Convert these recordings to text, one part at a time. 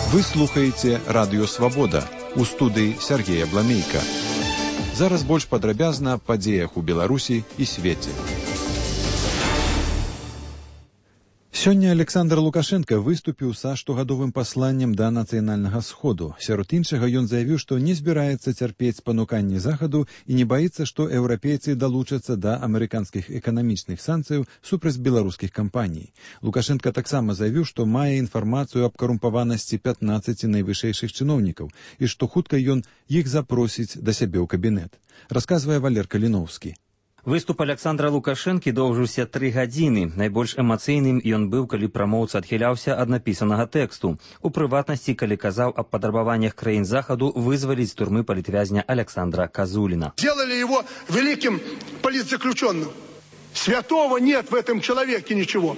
Вы слухаеце Радыё Свабода. У студыі Сергея Бламейка. Зараз больш падрабязна аб падзеях у Беларусі і свеце. Сёння Александр Лукашенко выступіў са штогадовым пасланнем да нацыянальнага сходу. Сярод іншага ён заявіў, што не збіраецца цярпець пануканні захаду і не баіцца, што еўрапейцы далучацца да амерыканскіх эканамічных санкцыяў супраць беларускіх кампаній. Лукашенко таксама заявіў, што мае інфармацыю аб карумпаванасці 15 найвышэйшых чыноўнікаў і што хутка ён іх запросіць да сябе ў кабінет. Расказвае Валер Каліноўскі. Выступ Александра Лукашэнкі доўжыўся 3 гадзіны. Найбольш эмацыйным ён быў, калі прамоўца адхіляўся ад напісанага тэксту. У прыватнасці, калі казаў аб патрабаваннях краін Захаду вызваліць з турмы палітвязня Александра Козулина. Сделали его великим политзаключенным. Святого нет в этом человеке ничего.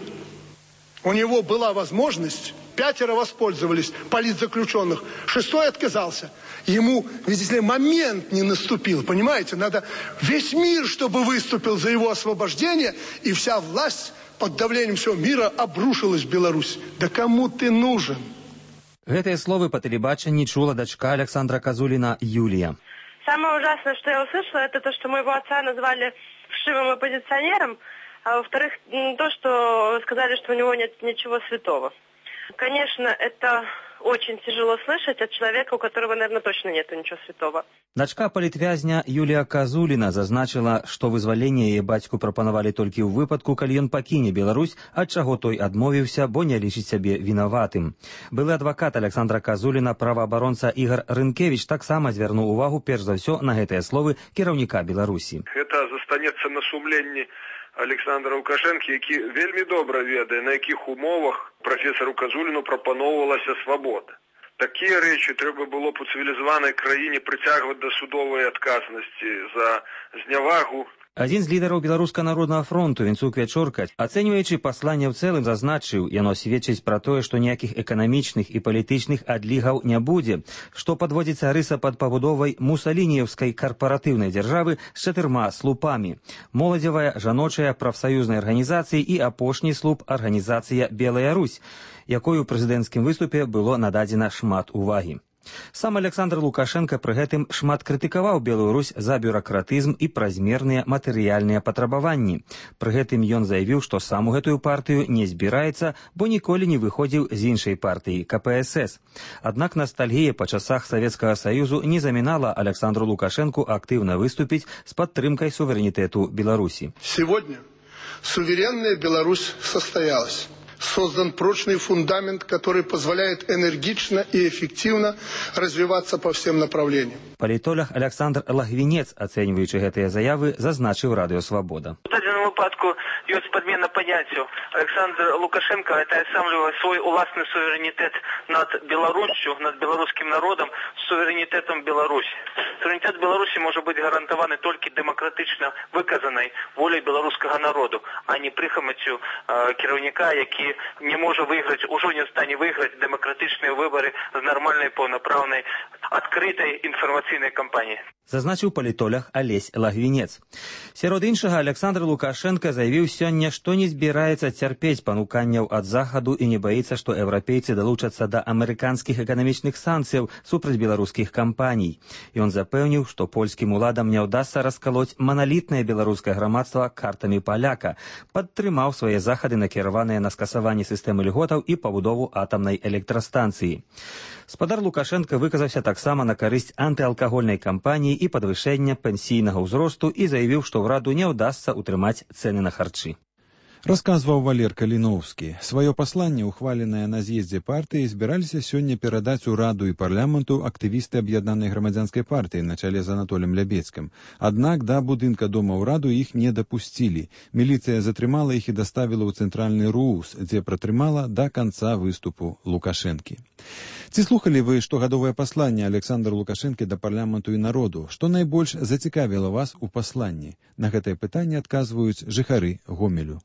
У него была возможность, 5 воспользовались политзаключенных, 6 отказался. Ему, видите ли, момент не наступил, понимаете? Надо весь мир, чтобы выступил за его освобождение, и вся власть под давлением всего мира обрушилась в Беларусь. Да кому ты нужен? Гэтыя словы па тэлебачанні чула дачка Александра Козулина Юлия. Самое ужасное, что я услышала, это то, что моего отца назвали вшивым оппозиционером, а во-вторых, то, что сказали, что у него нет ничего святого. Конечно, это очень тяжело слышать от человека, у которого, наверное, точно нет ничего святого. Дачка палітвязня Юлія Козулина зазначила, што вызваленне яе бацьку прапанавалі толькі ў выпадку, калі ён пакіне Беларусь, ад чаго той адмовіўся, бо не лічыць сябе вінаватым. Былы адвакат Александра Козулина, праваабаронца Ігор Рынкевич, таксама звярнуў увагу перш за ўсё на гэтыя словы кіраўніка Беларусі. Гэта застанецца на сумленні Александра Лукашенко, які вельмі добра ведае, на якіх умовах прафесару Козуліну прапаноўвалася свабода. Такія рэчы трэба было б у цывілізаванай краіне прыцягваць да судовай адказнасці за знявагу. Адзін з лідараў Беларускага народнага фронту Венцук Вячорка, ацэньваючы пасланне ў цэлым, зазначыў, яно сведчыць пра тое, што ніякіх эканамічных і палітычных адлігаў не будзе, што падводзіцца рыса пад пабудовай мусалініеўскай карпаратыўнай дзяржавы з 4 слупамі: моладзевая, жаночая, прафсаюзнай арганізацыі і апошні слуп арганізацыя Белая Русь, якой у прэзідэнцкім выступе было нададзена шмат увагі. Сам Александр Лукашенко пры гэтым шмат крытыкаваў Белую Русь за бюракратызм і празмерныя матэрыяльныя патрабаванні. Пры гэтым ён заявіў, што сам у гэтую партыю не збіраецца, бо ніколі не выходзіў з іншай партыі КПСС. Аднак ностальгія па часах Савецкага Саюзу не замінала Александру Лукашенку актыўна выступіць з падтрымкай суверэнітэту Беларусі. Сегодня суверенная Беларусь состоялась. Создан прочный фундамент, который позволяет энергично и эффективно развиваться по всем направлениям. Палітолог Александр Лагвінец, ацэньваючы гэтыя заявы, зазначыў Радыё Свабода. В данном выпадку ёсць подмена паняццяў. Александр Лукашенко атаясамлівае свой уласны суверэнітэт над Беларуссю, над беларускім народам, суверэнітэтам Беларусі. Суверэнітэт Беларусі можа быць гарантаваны толькі дэмакратычна выказанай воляй беларускага народу, а не прыхамаццю кіраўніка, які не можа выйграць, ужо не стане выйграць дэмакратычныя выбары з нармальнай, паўнапраўнай, адкрытай інфармацыйнай кампаніяй. Зазначыў палітолог Алесь Лагвінец. Сярод іншага, Александр Лукашенко заявіў сёння, што не збіраецца цярпець пануканняў ад захаду і не баіцца, што еўрапейцы далучацца да амерыканскіх эканамічных санкцыяў супраць беларускіх кампаній. Ён запэўніў, што польскім уладам не ўдасца раскалоць маналітнае беларускае грамадства картамі паляка, падтрымаў свае захады, накіраваныя на скасаванне сістэмы льготаў і пабудову атамнай электрастанцыі. Спадар Лукашенко выказаўся таксама на карысць антыалкагольнай кампаніі і падвышэння пенсійнага ўзросту і заявіў, што ўраду не ўдасца ўтрымаць цэны на харчы. Расказваў Валер Каліноўскі. Сваё пасланне, ухваленае на з'ездзе партыі, збіраліся сёння перадаць у Раду і парламенту актывісты аб'яднанай грамадзянскай партыі на чале з Анатолем Лябецкім. Аднак да будынка дома ўраду іх не дапусцілі. Міліцыя затрымала іх і даставіла ў цэнтральны РУС, дзе пратрымала да канца выступу Лукашэнкі. Ці слухалі вы штогадовае пасланне Александра Лукашэнкі да парламенту і народу? Што найбольш зацікавіла вас у пасланні? На гэтае пытанне адказваюць жыхары Гомелю.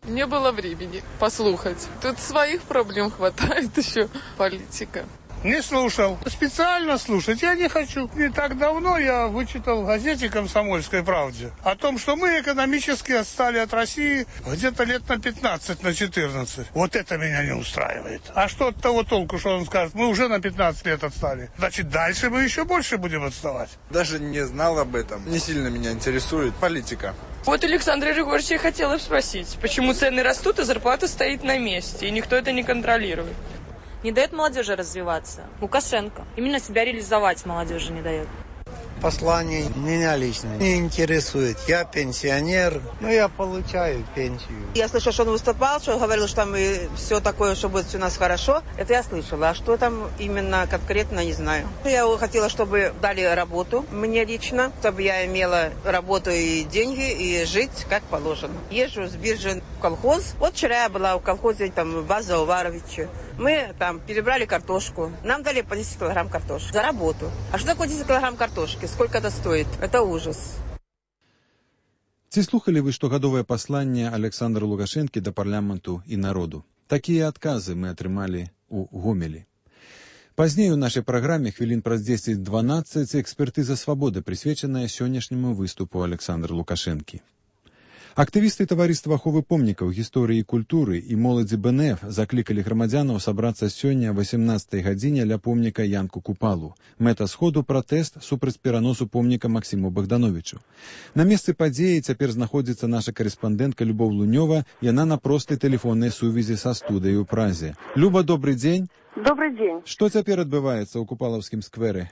Не было времени послухать. Тут своих проблем хватает еще. Политика. Не слушал. Специально слушать я не хочу. Не так давно я вычитал в газете «Комсомольской правде» о том, что мы экономически отстали от России где-то лет на 15, на 14. Вот это меня не устраивает. А что от того толку, что он скажет? Мы уже на 15 лет отстали. Значит, дальше мы еще больше будем отставать. Даже не знал об этом. Не сильно меня интересует политика. Вот Александра Григорьевича я хотела спросить, почему цены растут, а зарплата стоит на месте, и никто это не контролирует. Не дает молодежи развиваться. Лукашенко. Именно себя реализовать молодежи не дает. Послание меня лично не интересует. Я пенсионер, но я получаю пенсию. Я слышала, что он выступал, что говорил, что там и все такое, что будет все у нас хорошо. Это я слышала. А что там именно конкретно, не знаю. Я хотела, чтобы дали работу мне лично, чтобы я имела работу и деньги, и жить как положено. Езжу с биржи в колхоз. Вот вчера я была в колхозе, там, база Уваровича. Мы там перебрали картошку. Нам дали по 10 килограмм картошки за работу. А что такое 10 килограмм картошки? Сколько это стоит? Это ужас. Ці слухали вы штогадовае пасланне Александра Лукашэнкі да парламенту і народу? Такія адказы мы атрымалі у Гомелі. Пазней у нашай праграме хвілін праз 10-12 экспертыза свабоды, прысвечаная сённяшняму выступу Александра Лукашэнкі. Актывісты таварыства аховы помнікаў гісторыі і культуры і моладзі БНФ заклікалі грамадзянаў сабрацца сёння о 18 гадзіне ля помніка Янку Купалу. Мэта сходу пратэст супраць пераносу помніка Максіму Богдановичу. На месцы падзеі цяпер знаходзіцца наша карэспандэнтка Любоў Лунёва, яна на простай тэлефоннай сувязі са студыяй у Празе. Люба, добрый дзень. Добрый дзень. Што цяпер адбываецца ў Купалаўскім скверы?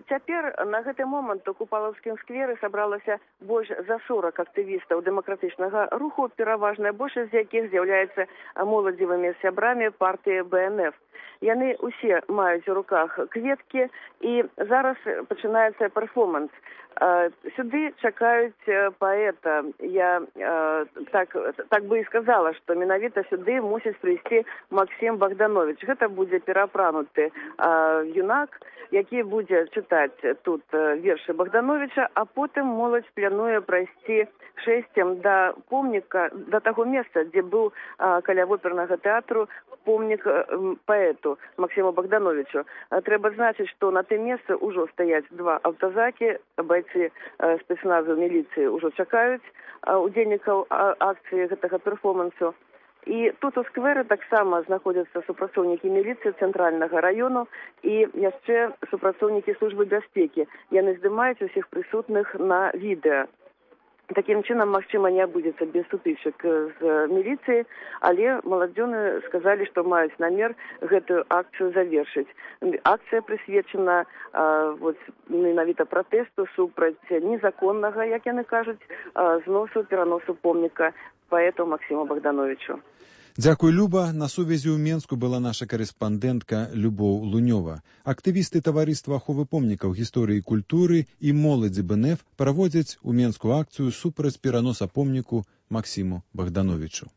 Цяпер на гэты момант у Купалаўскім скверы сабралася больш за 40 актывістаў дэмакратычнага руху, пераважная большасць з якіх з'яўляецца моладзевымі сябрамі партыі БНФ. Яны усе маюць у руках кветкі, і зараз пачынаецца перформанс. Сюды чакаюць паэта. Я так бы і сказала, што менавіта сюды мусіць прыйсці Максім Богданович. Гэта будзе пераапрануты юнак, які будзе чытаць тут вершы Богдановича, а потым моладзь плануе прайсці шэсцем да помніка, да таго месца, дзе быў каля опернага тэатру помнік паэту Максиму Богдановичу. Трэба значыць, што на тым месцы ўжо стаяць два аўтазакі, бойцы спецназу міліцыі ўжо чакаюць удзельнікаў акцыі гэтага перформансу. І тут у скверы таксама знаходзяцца супрацоўнікі міліцыі цэнтральнага раёну і яшчэ супрацоўнікі службы бяспекі. Яны здымаюць усіх прысутных на відэа. Такім чынам, магчыма, не абудзецца без сутычак з міліцыяй, але маладзёны сказалі, што маюць намер гэтую акцыю завершыць. Акцыя прысвечана менавіта пратэсту супраць незаконнага, як яны кажуць, зносу, пераносу помніка паэту Максиму Богдановичу. Дзякуй, Люба. На сувязі ў Менску была наша карэспандэнтка Любоў Лунёва. Актывісты таварыства аховы помнікаў гісторыі і культуры і моладзі БНФ праводзяць у Менску акцыю супраць пераноса помніку Максиму Богдановичу.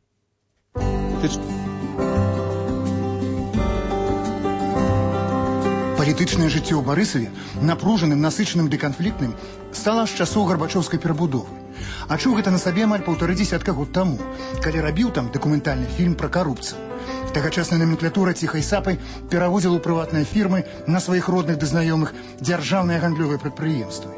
Палітычнае жыццё ў Барысаве напружаным, насычаным ды канфліктным стала з часоў гарбачоўскай перабудовы. А чуў гэта на сабе амаль 1,5 дзесятка год таму, калі рабіў там дакументальны фільм пра карупцыю. Тагачасная номенклатура ціхай сапай пераводзіла ў прыватныя фірмы на сваіх родных ды знаёмых дзяржаўныя гандлёвыя прадпрыемствы.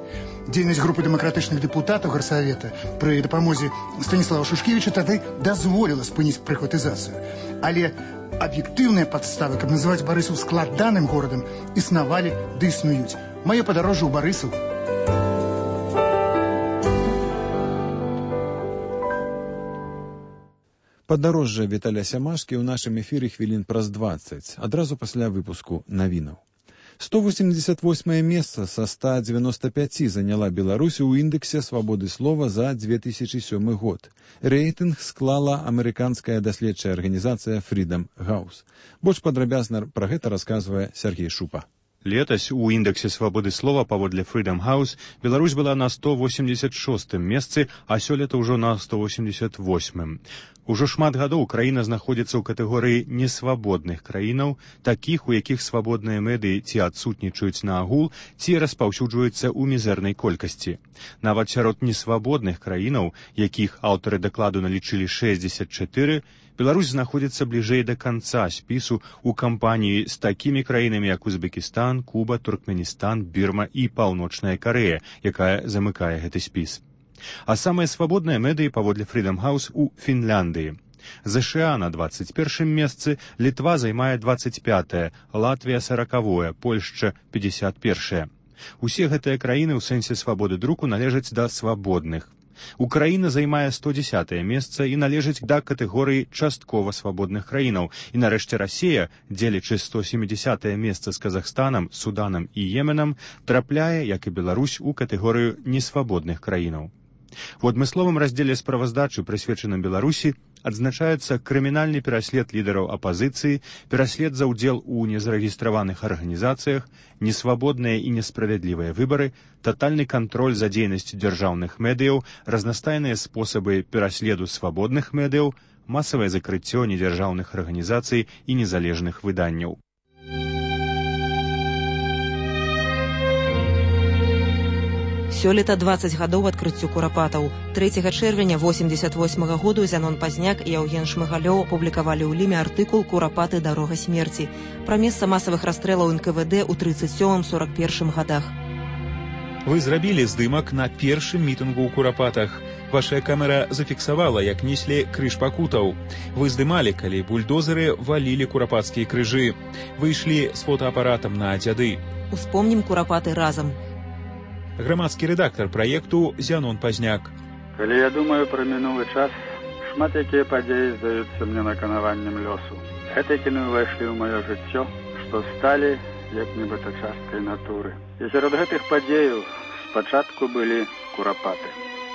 Дзейнасць групы дэмакратычных дэпутатаў гарсавета пры дапамозе Станіслава Шушкевіча тады дазволіла спыніць прыхватызацыю. Але аб'ектыўныя падставы, каб называць Барысаў складаным горадам, існавалі ды існуюць. Маё падарожжа ў Барысаў. Падарожжа Віталя Сямашкі ў нашым эфіры хвілін праз 20, адразу пасля выпуску навінаў. 188 месца са 195 заняла Беларусь у індексе свабоды слова за 2007 год. Рэйтынг склала амерыканская даследчая арганізацыя Freedom House. Больш падрабязна пра гэта расказвае Сергей Шупа. Летась у індексе свабоды слова паводле Freedom House Беларусь была на 186 месцы, а сёлета ўжо на 188. Ужо шмат гадоў краіна знаходзіцца ў катэгорыі несвабодных краінаў, такіх, у якіх свабодныя медыі ці адсутнічаюць наагул, ці распаўсюджваюцца ў мізэрнай колькасці. Нават сярод несвабодных краінаў, якіх аўтары дакладу налічылі 64, Беларусь знаходзіцца бліжэй да канца спісу ў кампаніі з такімі краінамі, як Узбекістан, Куба, Туркменістан, Бірма і Паўночная Карэя, якая замыкае гэты спіс. А самыя свабодныя медыі паводле Freedom House у Фінляндыі. ЗША на 21 месцы, Літва займае 25-е, Латвія 40-е, Польшча 51-е. Усе гэтыя краіны ў сэнсе свабоды друку належаць да свабодных. Украіна займае 110-е месца і належыць да катэгорыі часткова свабодных краінаў. І нарэшце Расія, дзелячы 170-е месца з Казахстанам, Суданам і Йеменам, трапляе, як і Беларусь, у катэгорыю несвабодных краінаў. У адмысловым раздзеле справаздачы, прысвечаным Беларусі, адзначаецца крымінальны пераслед лідараў апазіцыі, пераслед за ўдзел у незарэгістраваных арганізацыях, несвабодныя і несправядлівыя выбары, татальны кантроль за дзейнасцю дзяржаўных медыяў, разнастайныя спосабы пераследу свабодных медыяў, масавае закрыццё недзяржаўных арганізацый і незалежных выданняў. Сёлета 20 гадоў адкрыццю курапатаў. 3 чэрвеня 88 году Зянон Пазняк і Яўген Шмыгалёў апублікавалі ў Ліме артыкул «Курапаты. Дарога смерці» пра месца масавых расстрэлаў НКВД ў 37-41 гадах. Вы зрабілі здымак на першым мітынгу ў Курапатах. Ваша камера зафіксавала, як неслі крыж пакутаў. Вы здымалі, калі бульдозеры валілі курапацкія крыжы. Вы ішлі з фотоапаратам на дзяды. Успомнім Курапаты разам. Грамадскі рэдактар праекту Зянон Пазняк. Калі я думаю пра мінулы час, шмат якія падзеі здаюцца мне наканаваннем лёсу. Гэтыя кіны ўвайшлі ў маё жыццё, што сталі як нібыта часткай натуры. І сярод гэтых падзеяў спачатку былі курапаты.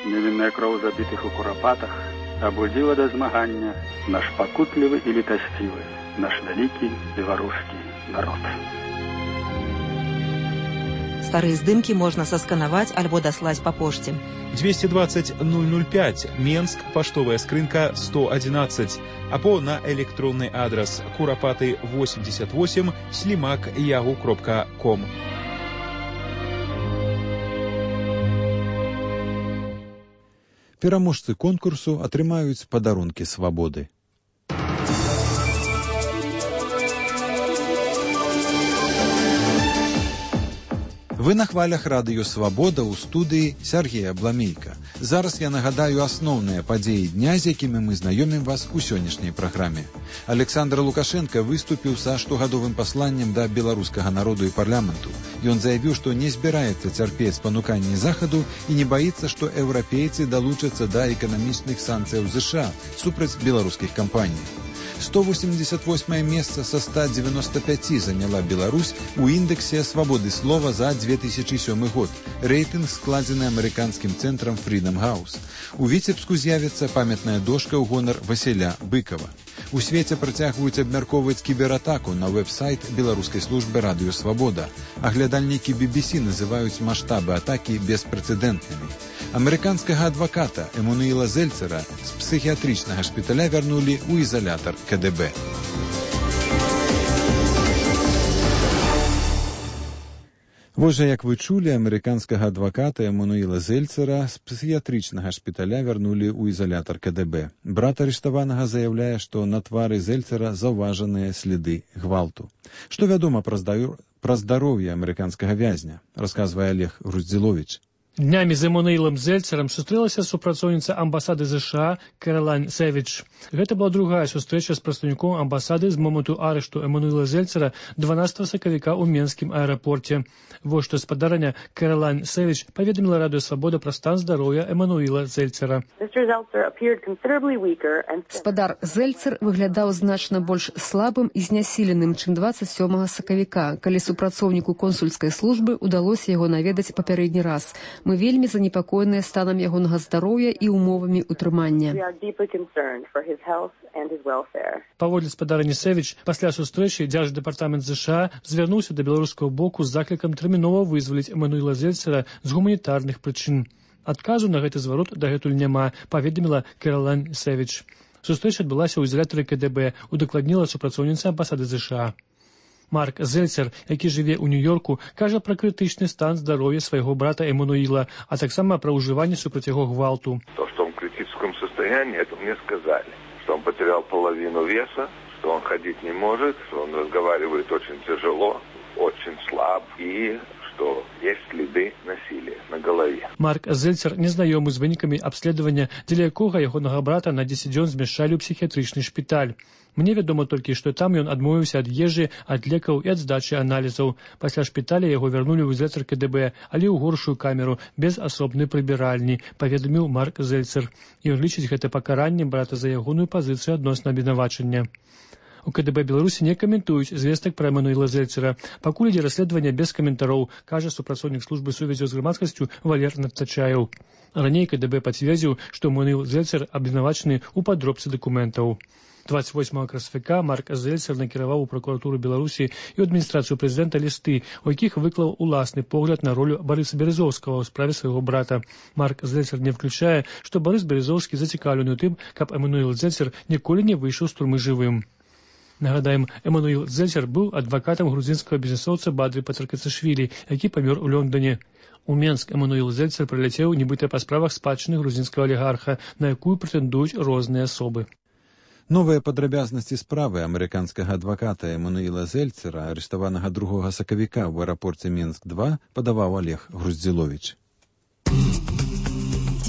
Невінная кроў забітых у курапатах абудзіла да змагання наш пакутлівы і літасцівы, наш вялікі беларускі народ. Старыя здымкі можна сасканаваць альбо даслаць па пошце. 220 005, Менск, паштовая скрынка 111, або на электронны адрас kurapаты88@yahoo.com. Пераможцы конкурсу атрымаюць падарункі свабоды. Вы на хвалях радыё «Свабода» ў студыі Сергея Бламейка. Зараз я нагадаю асноўныя падзеі дня, з якімі мы знаёмім вас у сённяшняй праграме. Александр Лукашенко выступіў са штогадовым пасланнем да беларускага народу і парламенту. Ён заявіў, што не збіраецца цярпець спануканні Захаду і не баіцца, што еўрапейцы далучацца да эканамічных санкцыяў ЗША супраць беларускіх кампаній. 188 месца са 195 заняла Беларусь у індексе свабоды слова за 2007 год. Рэйтынг складзены амерыканскім цэнтрам Freedom House. У Віцебску з'явіцца памятная дошка ў гонар Васіля Быкова. У свеце працягваюць абмяркоўваць кібератаку на вэб-сайт беларускай службы радыё «Свабода». Аглядальнікі BBC называюць маштабы атакі беспрэцэдэнтнымі. Амерыканскага адваката Эммануіла Зельцера з псіхіятрычнага шпіталя вярнулі ў ізалятар КДБ. Вось жа, як вы чулі, амерыканскага адваката Эммануіла Зельцера з псіхіятрычнага шпіталя вярнулі ў ізалятар КДБ. Брат арыштаванага заяўляе, што на твары Зельцера заўважаныя сліды гвалту. Што вядома пра здароўе амерыканскага вязня, расказвае Олег Груздзіловіч. Днямі з Эммануілам Зельцерам сустрэлася супрацоўніца амбасады ЗША Кэралайн Сэвідж. Гэта была другая сустрэча з прадстаўніком амбасады з моманту арышту Эммануіла Зельцера 12 сакавіка ў Менскім аэрапорце. Вось што спадарня Кэралайн Сэвідж паведаміла радыё «Свабода» пра стан здароўя Эммануіла Зельцера. Спадар Зельцер выглядаў значна больш слабым і знясіленым, чым 27 сакавіка, калі супрацоўніку консульскай службы ўдалося яго наведаць папярэдні раз. Мы вельмі занепакоеныя станам ягонага здароўя і ўмовамі ўтрымання. Паводле спадарні Сэвідж, пасля сустрэчы дзярждэпартамент ЗША звярнуўся да беларускага боку з заклікам тэрмінова вызваліць Эммануіла Зельцера з гуманітарных прычын. Адказу на гэты зварот дагэтуль няма, паведаміла Кэралайн Сэвідж. Сустрэча адбылася ў ізалятары КДБ, удакладніла супрацоўніца амбасады ЗША. Марк Зельцер, які жыве ў Нью-Йорку, кажа пра крытычны стан здароўя свайго брата Эммануіла, а таксама пра ўжыванне супраць яго гвалту. То, что он в критическом состоянии, это мне сказали. что он потерял половину веса, что он ходить не может, что он разговаривает очень тяжело, очень слаб и что есть следы насилия на голове. Марк Зельцер незнаёмы з вынікамі абследавання, дзеля якога ягонага брата на 10 дзён змяшчалі ў псіхіятрычны шпіталь. Мне вядома толькі, што там ён адмовіўся ад ежы, ад лекаў і ад здачы аналізаў. Пасля шпіталя яго вярнулі ў ізалятар КДБ, але ў горшую камеру, без асобнай прыбіральні, паведаміў Марк Зельцер. Ён лічыць гэта пакараннем брата за ягоную пазіцыю адносна абвінавачання. У КДБ Беларусі не каментуюць звестак пра Эмануіла Зельцера. Пакуль ідзе расследаванне без каментароў, кажа супрацоўнік службы сувязі з грамадскасцю Валер Надтачаеў. Раней КДБ пацвердзіў, што Эмануіл Зельцер абвінавачаны ў падробцы дакументаў. 28 красавіка Марк Зельцер накіраваў у пракуратуру Беларусі і ў адміністрацыю прэзідэнта лісты, у якіх выклаў уласны погляд на ролю Барыса Березоўскага ў справе свайго брата. Марк Зельцер не включае, што Барыс Березоўскі зацікаўлены ў тым, каб Эмануіл Зельцер ніколі не выйшаў з турмы жывым. Нагадаем, Эмануіл Зельцер быў адвакатам грузінскага бізнесоўца Бадры Пацаркацашвілі, які памёр у Лондоне. У Менск Эмануіл Зельцер прыляцеў нібыта па справах спадчыны грузінскага алігарха, на якую прэтэндуюць розныя асобы. Новыя падрабязнасці справы амерыканскага адваката Эмануіла Зельцера, арыштаванага 2 сакавіка ў аэрапорце Мінск-2, падаваў Олег Груздзіловіч.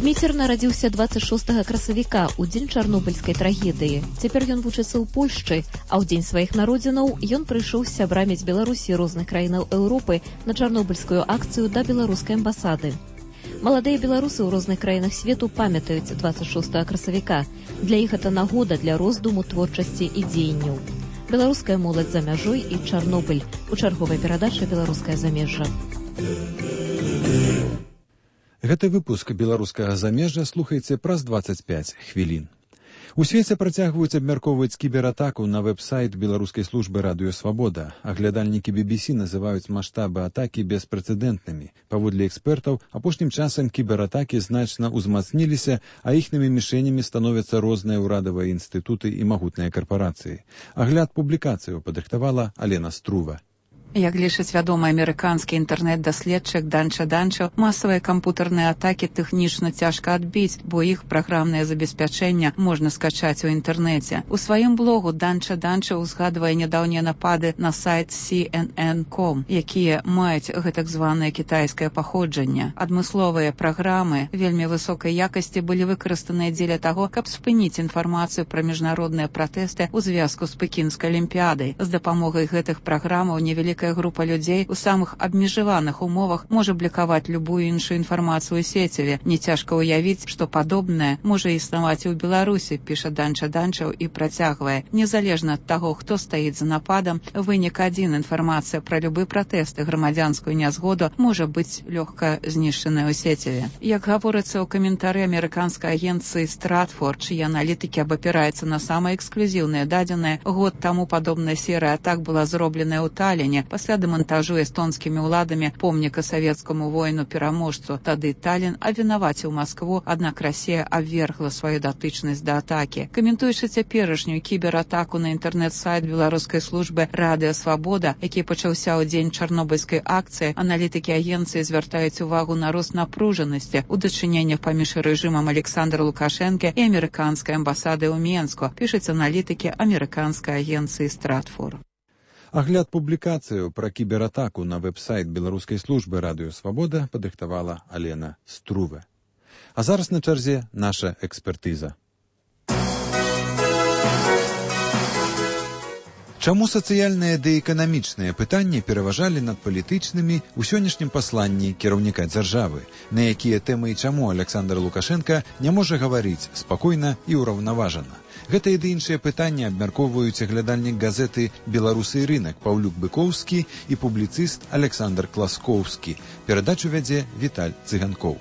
Дміцер нарадзіўся 26 красавіка ў дзень чарнобыльскай трагедыі. Цяпер ён вучыцца ў Польшчы, а ў дзень сваіх народзінаў ён прыйшоў з сябрамі з Беларусі розных краінаў Еўропы на чарнобыльскую акцыю да беларускай амбасады. Маладыя беларусы ў розных краінах свету памятаюць 26 красавіка. Для іх гэта нагода для роздуму, творчасці і дзеянняў. Беларуская моладзь за мяжой і Чарнобыль. У чарговай перадачы «Беларускае замежжа». Гэты выпуск беларускага замежжа слухайце праз 25 хвілін. У свеце працягваюць абмяркоўваць кібератаку на вэб-сайт беларускай службы «Радыё Свабода». Аглядальнікі BBC называюць маштабы атакі беспрэцэдэнтнымі. Паводле экспертаў, апошнім часам кібератакі значна ўзмацніліся, а іхнымі мішэнямі становяцца розныя ўрадавыя інстытуты і магутныя карпарацыі. Агляд публікацыяў падрыхтавала Алена Струва. Як лічыць вядомы амерыканскі інтэрнэт-даследчык Данча Данча, масавыя кампутарныя атакі тэхнічна цяжка адбіць, бо іх праграмнае забеспячэнне можна скачаць у інтэрнэце. У сваім блогу Данча Данча узгадвае нядаўнія напады на сайт CNN.com, якія маюць гэтак званае кітайскае паходжанне. Адмысловыя праграмы вельмі высокай якасці былі выкарыстаныя дзеля таго, каб спыніць інфармацыю пра міжнародныя пратэсты ў звязку з Пекінскай алімпіядай. З дапамогай гэтых праграмаў невялікая група людзей у самых абмежаваных умовах можа блакаваць любую іншую інфармацыю ў сеціве. Не цяжка ўявіць, што падобнае можа існаваць і ў Беларусі, піша Данча Данчаў і працягвае. Незалежна ад таго, хто стаіць за нападам, вынік адзін: інфармацыя пра любы пратэст і грамадзянскую нязгоду можа быць лёгка знішчаная ў сеціве. Як гаворыцца ў каментары амерыканскай агенцыі Stratfor, чые аналітыкі абапіраюцца на самыя эксклюзіўныя дадзеныя, год таму падобная серыя атак была зробленая ў Таліне пасля дэмантажу эстонскімі ўладамі помніка савецкаму воіну-пераможцу. Тады Талін абвінаваціў Маскву, аднак Расія абвергла сваю датычнасць да атакі. Каментуючы цяперашнюю кібератаку на інтэрнэт-сайт беларускай службы «Радыё Свабода», які пачаўся ў дзень чарнобыльскай акцыі, аналітыкі агенцыі звяртаюць увагу на рост напружанасці ў дачыненнях паміж рэжымам Александра Лукашэнкі і амерыканскай амбасады ў Менску, пішуць аналітыкі амерыканскай агенцыі Stratfor. Агляд публікацыяў пра кібератаку на вэб-сайт беларускай службы «Радыё Свабода» падрыхтавала Алена Струва. А зараз на чарзе наша экспертыза. Чаму сацыяльныя ды эканамічныя пытанні пераважалі над палітычнымі ў сённяшнім пасланні кіраўніка дзяржавы, на якія тэмы і чаму Александр Лукашенка не можа гаварыць спакойна і ўраўнаважана? Гэтыя ды іншыя пытанні абмяркоўваюць аглядальнік газеты «Беларусы і рынак» Паўлюк Быкоўскі і публіцыст Александр Класкоўскі. Перадачу вядзе Віталь Цыганкоў.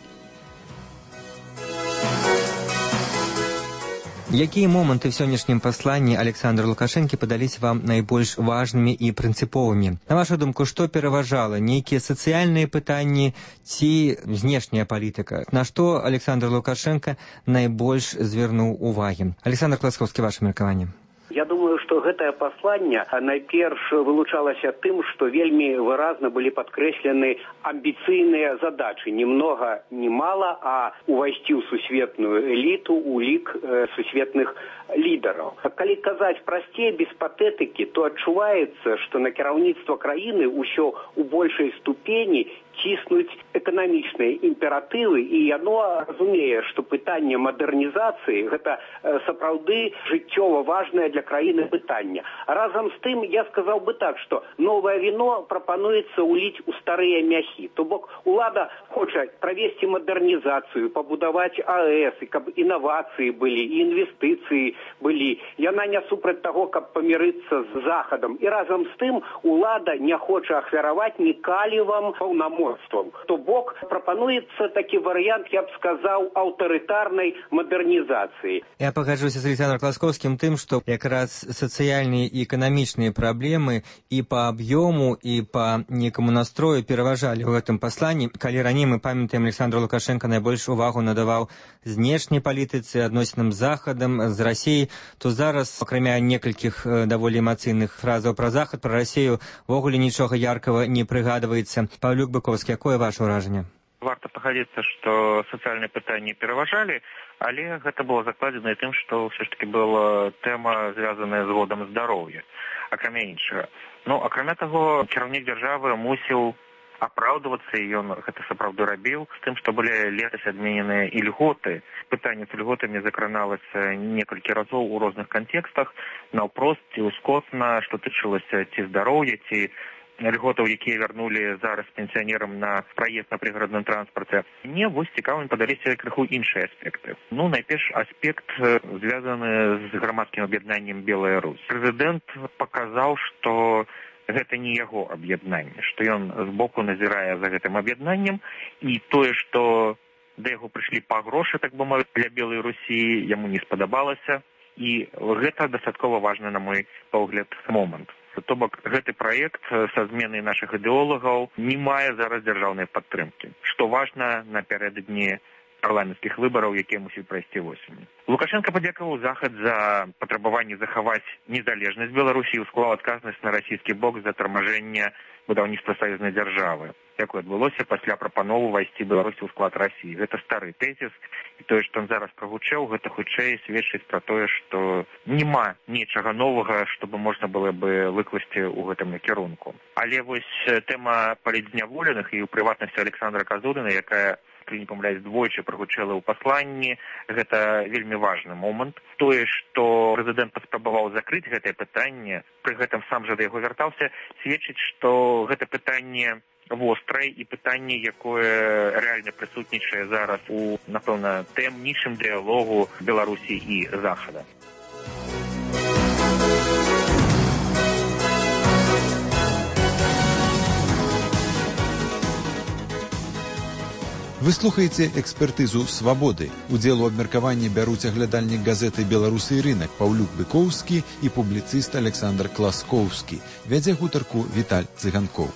Якія моманты ў сённяшнім пасланні Александра Лукашэнкі падаліся вам найбольш важнымі і прынцыповымі? На вашу думку, што пераважала? Нейкія сацыяльныя пытанні ці знешняя палітыка? На што Александр Лукашенко найбольш звярнуў увагі? Александр Класкоўскі, ваше меркаванне. Я думаю, што гэтае пасланне найперш вылучалася тым, што вельмі выразна былі падкрэслены амбіцыйныя задачы. Ни много, ни мало, а увайсці ў сусветную эліту, у лік сусветных лідараў. Калі казаць прасцей, без патэтыкі, то адчуваецца, што на кіраўніцтва краіны ўсё у большай ступені ціснуць эканамічныя імператывы, і яно разумее, што пытанне мадэрнізацыі гэта сапраўды жыццёва важнае для краіны пытанне. Разам з тым я сказаў бы так, што новае віно прапануецца ўліць у старыя мяхі. То бок улада хоча правесці мадэрнізацыю, пабудаваць АЭС, і каб інавацыі былі, і інвестыцыі былі. Яна не супраць таго, каб памірыцца з Захадам. І разам з тым улада не хоча ахвяраваць ні калівам паўнамоцтвам. То бок прапануецца такі варыянт, я б сказаў, аўтарытарнай мадэрнізацыі. Я пагаджуся з Александром Класкоўскім тым, што якраз сацыяльныя і эканамічныя праблемы і па аб'ёму, і па некаму настрою пераважалі ў гэтым пасланні. Калі раней мы памятаем, Александр Лукашенко найбольш увагу надаваў знешняй палітыцы, адносінам з Захадам, з Расіяй, то зараз, акрамя некалькіх даволі эмацыйных фразаў пра Захад, пра Расію ввогуле нічога яркага не прыгадваецца. Павлюк Быковскі, якое ваше ўражанне? Варта пагадзіцца, што сацыяльныя пытанні пераважалі, але гэта было закладзена тым, што ўсё ж таки была тэма, звязаная з годам здароўя, акрамя іншага. Ну, акрамя таго, кіраўнік дзяржавы мусіў апраўдвацца, і ён гэта сапраўды рабіў, з тым, што былі летась адмененыя ільготы. Пытанне з ільготамі закраналася некалькі разоў у розных кантэкстах, наўпрост ці ўскосна, што тычылася ці здароўя, ці льготаў, якія вярнулі зараз пенсіянерам на праезд на прыгарадным транспарце. Мне вось цікавымі падаліся крыху іншыя аспекты. Ну, найперш аспект звязаны з грамадскім аб'яднаннем «Белая Русь». Прэзідэнт паказаў, што гэта не яго аб'яднанне, што ён збоку назірае за гэтым аб'яднаннем, і тое, што да яго прыйшлі па грошы, так бы мовіць, для Белай Русі, яму не спадабалася, і гэта дастаткова важны, на мой погляд, момант. То бок гэты праект са зменай нашых ідэолагаў не мае зараз дзяржаўнай падтрымкі, што важна напярэдадні парламенцкіх выбараў, якія мусіць прайсці восенню. Лукашенко падзякаваў Захад за патрабаванне захаваць незалежнасць Беларусі і склаў адказнасць на расійскі бок за тармажэнне будаўніцтва саюзнай дзяржавы, якое адбылося пасля прапановы ўвайсці Беларусі ў склад Расіі. Гэта стары тэзіс, і тое, што ён зараз прагучэў, гэта хутчэй сведчыць пра тое, што няма нечага новага, што бы можна было бы выкласці ў гэтым накірунку. Але вось тэма палітзняволеных і ў прыватнасці Александра Казуліна, якая, калі не памыляюсь, двойчы прагучэла ў пасланні, гэта вельмі важны момант. Тое, што прэзідэнт паспрабаваў закрыць гэтае пытанне, пры гэтым сам жа да яго вяртаўся, сведчыць, што гэта пытанне вострае і пытанне, якое рэальна прысутнічае зараз у, напэўна, таямнічым дыялогу Беларусі і Захада. Вы слухаеце экспертызу «Свабоды». Удзел у абмеркаванні бяруць аглядальнік газеты «Беларусы і рынак» Паўлюк Быковскі і публіцыст Александр Класкоўскі. Вядзе гутарку Віталь Цыганкоў.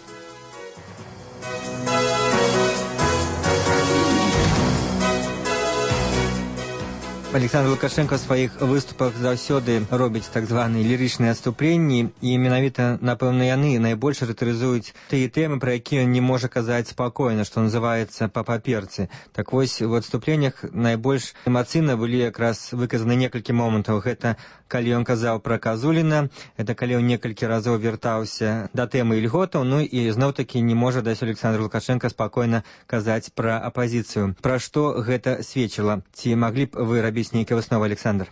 Александр Лукашенко ў сваіх выступах заўсёды робіць так званыя лірычныя адступленні, і менавіта, напэўна, яны найбольш характарызуюць тыя тэмы, пра якія ён не можа казаць спакойна, што называецца па паперцы. Так вось, у адступленнях найбольш эмацыйна былі якраз выказаны некалькі момантаў. Гэта калі ён казаў пра Казуліна, это калі он некалькі разоў вяртаўся да тэмы ільготаў, ну і зноў-такі не можа даць Александр Лукашенко спакойна казаць пра апазіцыю. Пра што гэта сведчыла? Ці маглі б вы рабіць нейкія высновы, Александр?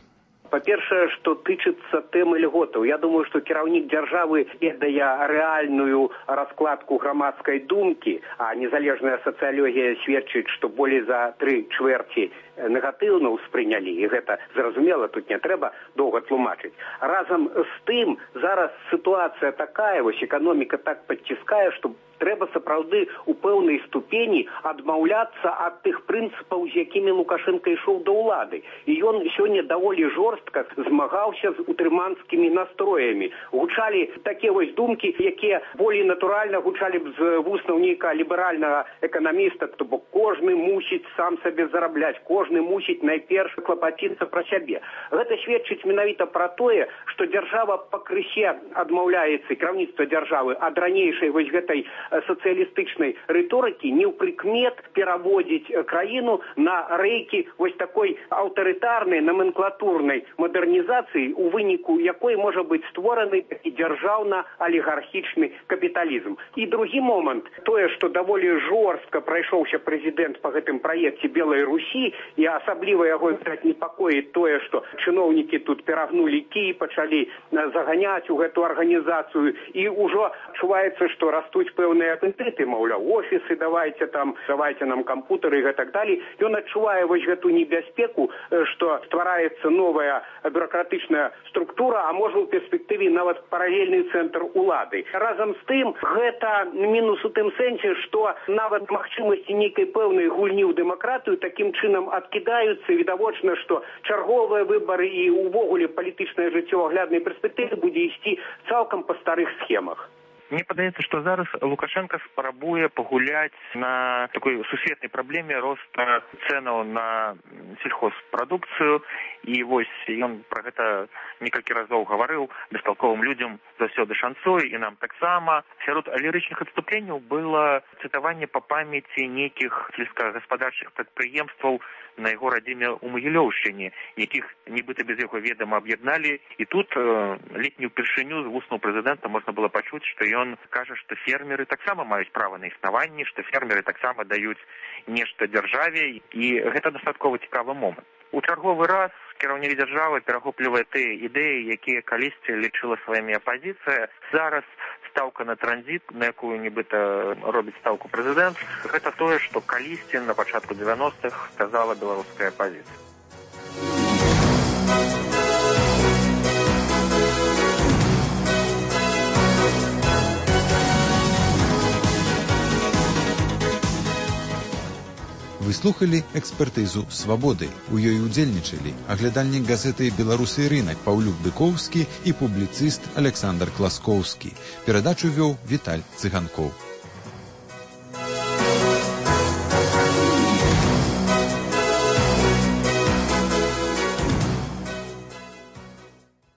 Па-першае, што тычыцца тэмы льготаў, я думаю, што кіраўнік дзяржавы ведае рэальную раскладку грамадскай думкі, а незалежная сацыялогія сведчыць, што болей за 3/4 негатыўна ўспрынялі, і гэта зразумела, тут не трэба доўга тлумачыць. Разам з тым, зараз сітуацыя такая, вось эканоміка так падціскае, што трэба сапраўды ў пэўнай ступені адмаўляцца ад тых прынцыпаў, з якімі Лукашенко ішоў да ўлады. І ён сёння даволі жорстка змагаўся з утрыманскімі настроямі. Гучалі такія вось думкі, якія болей натуральна гучалі б з вуснаў нейкага ліберальнага эканаміста, то бок кожны мусіць сам сабе зарабляць, кожны кожны мусіць найперш клапаціцца пра сябе. Гэта сведчыць менавіта пра тое, што дзяржава пакрысе адмаўляецца, кіраўніцтва дзяржавы ад ранейшай вось гэтай сацыялістычнай рыторыкі, не ў прыкмет пераводзіць краіну на рэйкі вось такой аўтарытарнай номенклатурнай мадэрнізацыі, у выніку якой можа быць створаны такі дзяржаўна-алігархічны капіталізм. І другі момант, тое, што даволі жорстка прайшоўся прэзідэнт па гэтым праекце Белай Русі, і асабліва яго непакоіць тое, што чыноўнікі тут перагнулі кій, пачалі заганяць у гэту арганізацыю, і ўжо адчуваецца, што растуць пэўныя апетыты, маўляў, офісы, давайте нам кампутары і гэтак далей. Ён адчувае вось гэту небяспеку, што ствараецца новая бюрократычная структура, а можа ў перспектыве нават паралельны цэнтр улады. Разам з тым, гэта мінус у тым сэнсе, што нават магчымасці нейкай пэўнай гульні ў дэмакратыю такім чынам адкідаюцца. Відавочна, што чарговыя выбары і ўвогуле палітычнае жыццё ў агляднай перспектыве будзе ісці цалкам па старых схемах. Мне падаецца, што зараз Лукашенко спрабуе пагуляць на такой сусветнай праблеме роста цэнаў на сельхозпрадукцыю, і вось ён пра гэта некалькі разоў гаварыў бесталковым людзям заўсёды шанцуе, і нам таксама. Сярод лірычных адступленняў было цытаванне па памяці нейкіх сельскагаспадарчых прадпрыемстваў на яго радзіме ў Магілёўшчыне, якіх нібыта без яго ведама аб'ядналі. І тут ледзь не ўпершыню з вуснаў прэзідэнта можна было пачуць, што ён кажа, што фермеры таксама маюць права на існаванне, што фермеры таксама даюць нешта дзяржаве, і гэта дастаткова цікавы момант. У чарговы раз кіраўнік дзяржавы перахоплівае тыя ідэі, якія калісьці лічыла сваімі апазіцыя. Зараз стаўка на транзіт, на якую нібыта робіць стаўку прэзідэнт, гэта тое, што калісьці на пачатку 90-х сказала беларуская апазіцыя. Вы слухали экспертызу «Свабоды». У ёй удзельнічалі аглядальнік газеты «Беларусы і рынак» Паўлюк Дыкоўскі і публіцыст Александр Класкоўскі. Перадачу вёў Віталь Цыганкоў.